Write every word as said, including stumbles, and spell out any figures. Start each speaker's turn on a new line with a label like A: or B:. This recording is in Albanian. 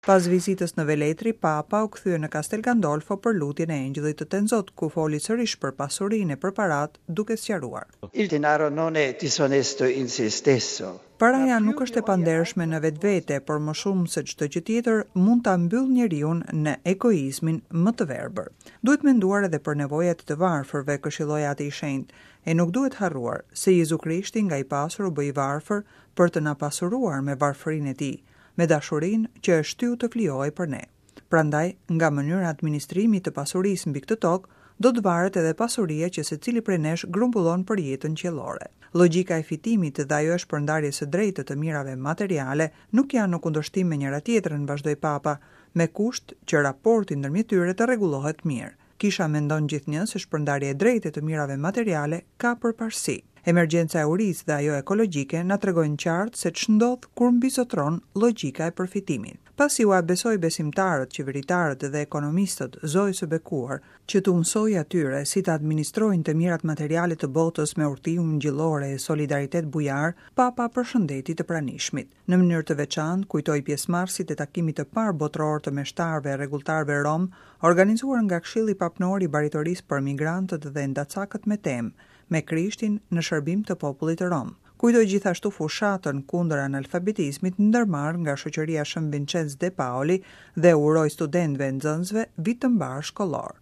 A: Pas vizitës në Velletri, Papa u kthye në Castel Gandolfo për lutjen e Engjëllit të Tenzot, ku foli sërish për pasurinë e për paratë, duke sqaruar.
B: Il denaro non è disonesto in se stesso.
A: Paraja nuk është e pandershme në vetvete, por më shumë se çdo gjë tjetër mund ta mbyllë njeriun në egoizmin më të verbër. Duhet menduar edhe për nevojat e të varfërve, këshilloi Ati i Shenjtë, e nuk duhet harruar se Jezu Krishti nga i pasur u bë i varfër për të na pasuruar me varfërinë e tij, me dashurinë që e shtyu të flijohej për ne. Prandaj, nga mënyra e administrimit të pasurisë mbi këtë tokë, do të varet edhe pasuria që secili prej nesh grumbullon për jetën qiellore. Logjika e fitimit dhe ajo e shpërndarjes së drejtë të mirave materiale nuk janë në kundërshtim me njëra tjetrën, vazhdoi Papa, me kusht që raporti ndërmjet tyre të rregullohet mirë. Kisha mendon gjithnjë se shpërndarja e drejtë e të mirave materiale ka përparësi. Emergjenca e urisë dhe ajo ekologjike na tregojnë qartë se ç'ndodh kur mbizotron logjika e përfitimit. Pasi ua besoi besimtarët, qeveritarët dhe ekonomistët Zojës së Bekuar, që t'u mësojë atyre si të administrojnë të mirat materiale të botës me urti ungjillore e solidaritet bujar, Papa përshëndeti të pranishmit. Në mënyrë të veçantë kujtoi pjesëmarrësit e takimit të parë botëror të meshtarëve e rregulltarëve rom, organizuar nga Këshilli Papnor i Baritorisë për Migrantët dhe Endacakët me temë me Krishtin në shërbim të popullit rom. Kujtoi gjithashtu fushatën kundër analfabetizmit ndërmarr nga shoqëria Shën Vincenz de Paoli dhe uroi studentëve e nxënësve vit të mbar shkollor.